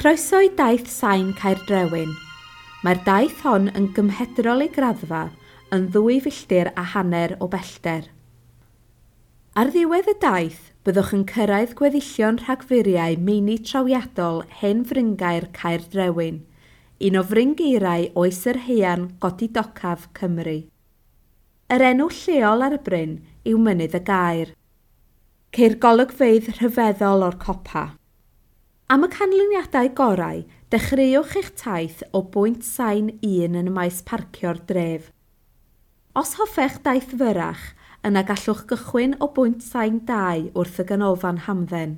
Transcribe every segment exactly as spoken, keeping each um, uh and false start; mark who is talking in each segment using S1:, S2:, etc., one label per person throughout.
S1: Croeso i daith sain Caerdrewyn. Mae'r daith hon yn gymhedrol ei graddfa yn ddwy filltir a hanner o bellter. Ar ddiwedd y daith, byddwch yn cyrraedd gweddillion rhagfuriau meini trawiadol hen fryngaer Caerdrewyn, un o fryngaerau oes yr haearn godidocaf Cymru. Yr enw lleol ar y bryn yw Mynydd y Gaer. Ceir golygfeydd rhyfeddol o'r copa. Am y canlyniadau gorau, dechreuwch eich taith o bwynt sain un yn y maes parcio'r dref. Os hoffech daith fyrrach, yna gallwch gychwyn o bwynt sain dau wrth y ganolfan hamdden.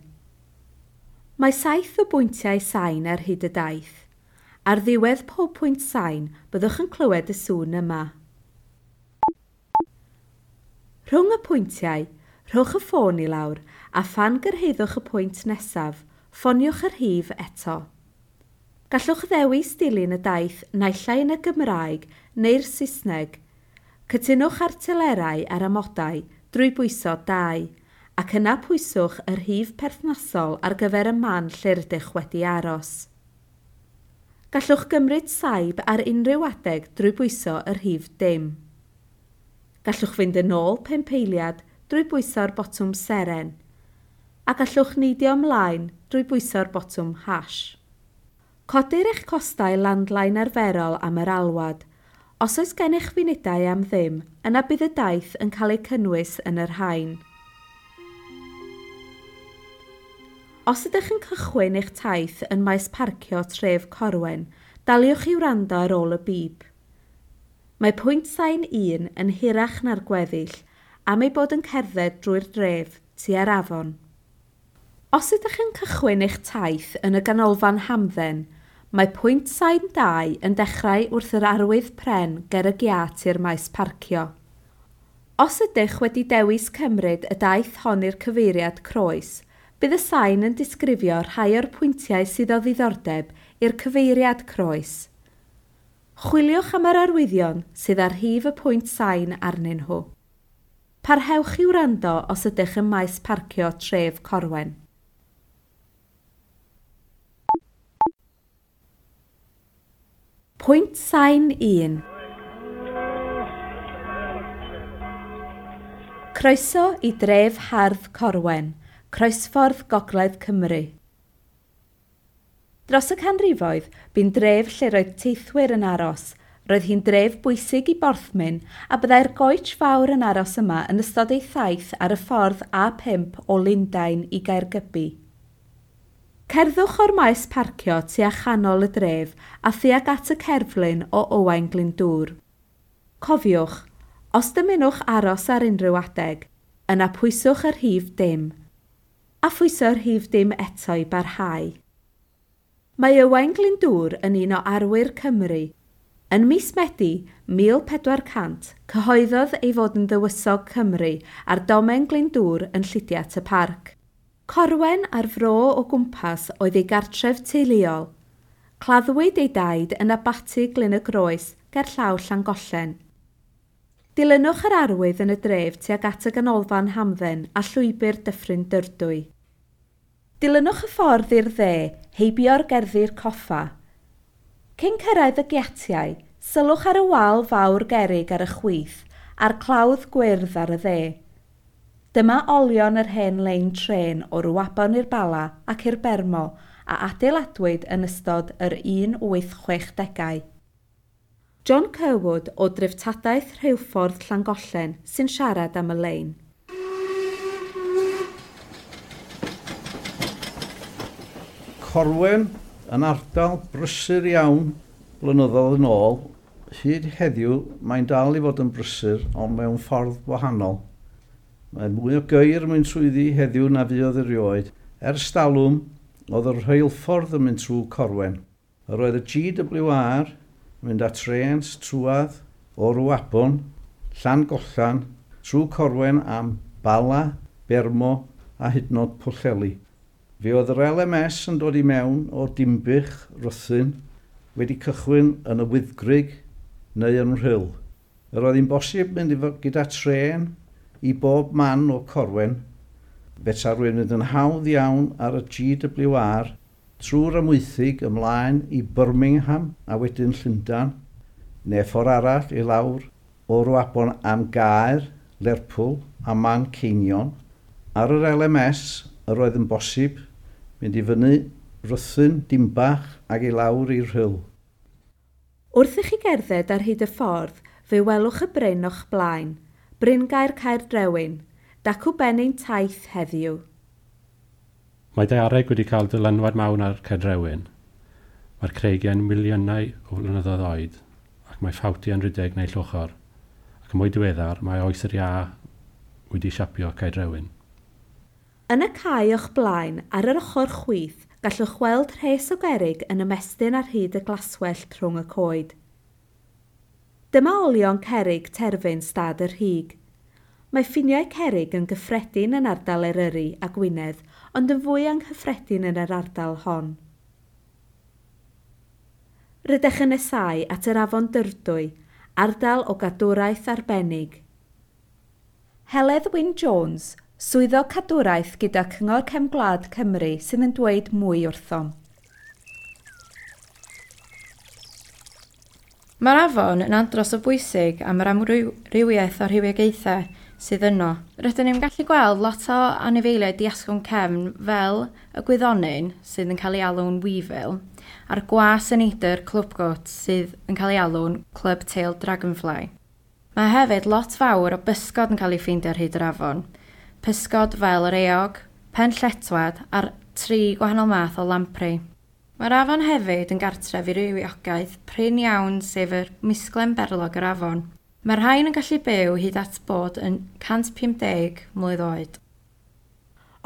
S1: Mae saith o bwyntiau sain ar hyd y daith. Ar ddiwedd pob pwynt sain, byddwch yn clywed y sŵn yma. Rhwng y pwyntiau, rhowch y ffôn i lawr a phan gyrhaeddwch y pwynt nesaf, ffoniwch yr rhif eto. Gallwch ddewis dilyn y daith naill ai yn y Gymraeg neu'r Saesneg. Cytunwch ar telerau a'r amodau drwy bwyso dau, ac yna pwyswch y rhif perthnasol ar gyfer y man lle rydych wedi aros. Gallwch gymryd saib ar unrhyw adeg drwy bwyso y rhif dim. Gallwch fynd yn ôl pump eiliad drwy bwyso'r botwm seren, a gallwch neidio ymlaen drwy bwyso'r botwm hash. Codir eich costau landline arferol am yr alwad. Os oes gennych funudau am ddim, yna bydd y daith yn cael ei cynnwys yn yr rhain. Os ydych yn cychwyn eich taith yn maes parcio tref Corwen, daliwch i wrando ar ôl y bip. Mae pwynt sain un yn hirach na'r gweddill am ei bod yn cerdded drwy'r dref tua'r afon. Os ydych yn cychwyn eich taith yn y ganolfan hamdden, mae pwynt sain dau yn dechrau wrth yr arwydd pren ger y giât i'r maes parcio. Os ydych wedi dewis cymryd y daith hon i'r cyfeiriad croes, bydd y sain yn disgrifio rhai o'r pwyntiau sydd o ddiddordeb i'r cyfeiriad croes. Chwiliwch am yr arwyddion sydd ar rhif y pwynt sain arnyn nhw. Parhewch i wrando os ydych ym maes parcio tref Corwen. Pwynt sain un. Croeso i dref hardd Corwen, croesffordd Gogledd Cymru. Dros y canrifoedd, bu'n dref lle roedd teithwyr yn aros. Roedd hi'n dref bwysig i Borthmyn a byddai'r goets fawr yn aros yma yn ystod ei thaith ar y ffordd A pump o Lundain i Gaergybi. Cerddwch o'r maes parcio tua chanol y dref a thuag at y cerflun o Owain Glyndŵr. Cofiwch, os dymunwch aros ar unrhyw adeg, yna pwyswch y rhif dim, a phwyso'r rhif dim eto i barhau. Mae Owain Glyndŵr yn un o arwyr Cymru. Yn mis Medi mil pedwar cant, cyhoeddodd ei fod yn ddywysog Cymru a'r domen Glyndŵr yn Lludiat y Parc. Corwen a'r fro o gwmpas oedd ei gartref teuluol. Claddwyd ei daid yn abaty Glyn y Groes ger llaw Llangollen. Dilynwch yr arwydd yn y dref tuag at y ganolfan hamdden a llwybr Dyffryn Dyfrdwy. Dilynwch y ffordd i'r dde, heibio'r gerddi'r coffa. Cyn cyrraedd y giatiau, sylwch ar y wal fawr gerrig ar y chwith a'r clawdd gwyrdd ar y dde. Dyma olion yr hen lein trên o Ruabon i'r Bala ac i'r Bermo a adeiladwyd yn ystod yr un wyth chwech degau. John Curwood o dreftadaeth rheilffordd Llangollen sy'n siarad am y lein.
S2: Corwen yn ardal brysur iawn blynyddoedd yn ôl. Hyd heddiw mae'n dal i fod yn brysur ond mewn ffordd wahanol. Mae mwy o geir yn mynd trwyddi heddiw na fuodd erioed. Ers talwm, oedd y rheilffordd yn mynd trwy Corwen. Yr oedd y G W R yn mynd â trens trwadd o Ruabon, Llangollen, trwy Corwen am Bala, Bermo a hyd yn oed Pwllheli. Fe oedd yr L M S yn dod i mewn o Dinbych, Rhuthun, wedi cychwyn yn y Wyddgrug neu yn Rhyl. Yr oedd hi'n bosib mynd efo, gyda trên i bob man o Corwen. Beta rwy'n mynd yn hawdd iawn ar y G W R trwy'r Amwythig ymlaen i Birmingham a wedyn Llundain, neu ffordd arall i lawr o Ruabon am Gaer, Lerpwl a Manceinion. Ar yr L M S yr oedd yn bosib mynd i fyny Rhuthun, Dimbach ac i lawr i'r Rhyl.
S1: Wrth i chi gerdded ar hyd y ffordd, fe welwch y bryn o'ch blaen, Bryngaer Caerdrewyn, dacw ben ein taith heddiw.
S3: Mae daeareg wedi cael dylanwad mawr ar Caerdrewyn. Mae'r creigiau'n miliynau o flynyddoedd oed, ac mae ffawtiau'n rhedeg neu llwchor, ac yn mwy diweddar mae oes yr iâ wedi siapio Caerdrewyn.
S1: Yn y cae o'ch blaen, ar yr ochr chwith, gallwch weld rhes o gerrig yn ymestyn ar hyd y glaswellt rhwng y coed. Dyma olion cerrig terfyn stad y Rhug. Mae ffiniau cerrig yn gyffredin yn ardal Eryri a Gwynedd, ond yn fwy anghyffredin yn yr ardal hon. Rydych yn nesáu at yr afon Dyfrdwy, ardal o gadwraeth arbennig. Heledd Wyn Jones, swyddog cadwraeth gyda Cyngor Cefn Gwlad Cymru sydd yn dweud mwy wrthom.
S4: Mae'r afon yn andros o bwysig am yr amrywiaeth o rhywogaethau sydd yno. Rydyn ni'n gallu gweld lot o anifeiliaid diasgwrn cefn fel y gwyddonyn sydd yn cael ei alw'n weevil a'r gwas y neidr clwbgot sydd yn cael ei alw'n club-tailed dragonfly. Mae hefyd lot fawr o bysgod yn cael ei ffeindio ar hyd yr afon. Pysgod fel yr eog, pen lletwad a'r tri gwahanol math o lamprey. Mae'r afon hefyd yn gartref i rywiogaeth prin iawn sef yr misglen berlog yr afon. Mae'r rhain yn gallu byw hyd at bod yn cant pum deg mlwydd oed.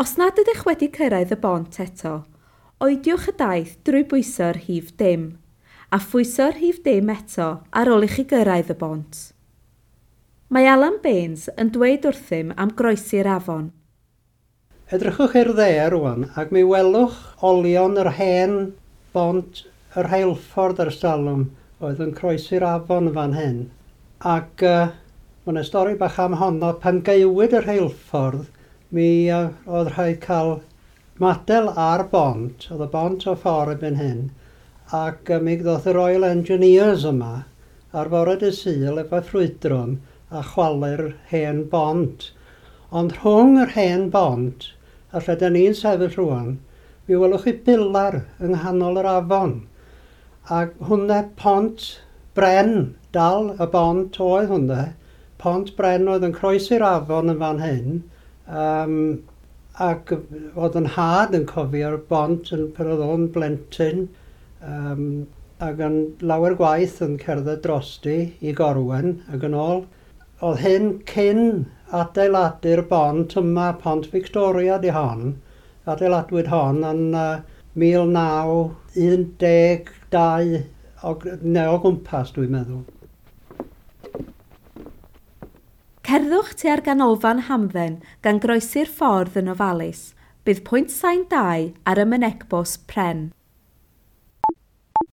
S1: Os nad ydych wedi cyrraedd y bont eto, oediwch y daith drwy bwyso'r rhif dim, a phwyso'r rhif dim eto ar ôl i chi gyrraedd y bont. Mae Alan Baines yn dweud wrthym am groesi'r afon.
S5: Edrychwch i'r dde rwan ac mi welwch olion yr hen bont yr rheilffordd ers talwm oedd yn croesi'r afon fan hyn. Ac uh, mae yna stori bach am honno, pan gaewyd y rheilffordd, mi uh, oedd rhaid cael madel ar bont, oedd y bont o ffordd erbyn hyn, ac uh, mi ddoth y Royal Engineers yma ar fore dydd Sul efo ffrwydron a chwalu'r hen bont. Ond rhwng yr hen bont, a lle da ni'n sefyll rwan, mi welwch chi bilar yng nghanol yr afon. Ac hwnna pont bren, dal y bont oedd hwnna. Pont bren oedd yn croesi'r afon yn fan hyn. Um, ac oedd yn nhad yn cofio'r bont yn pan oedd o'n blentyn. Um, ac yn lawer gwaith yn cerdded drosti i Gorwen ac yn ôl. Oedd hyn cyn adeiladu'r bont yma, Pont Victoria di hon. Adeiladwyd hon yn uh, mil naw un deg dau o, neu o gwmpas, dwi'n meddwl.
S1: Cerddwch tua'r ganolfan hamdden gan groesi'r ffordd yn ofalus. Bydd pwynt sain dau ar y mynegbws pren.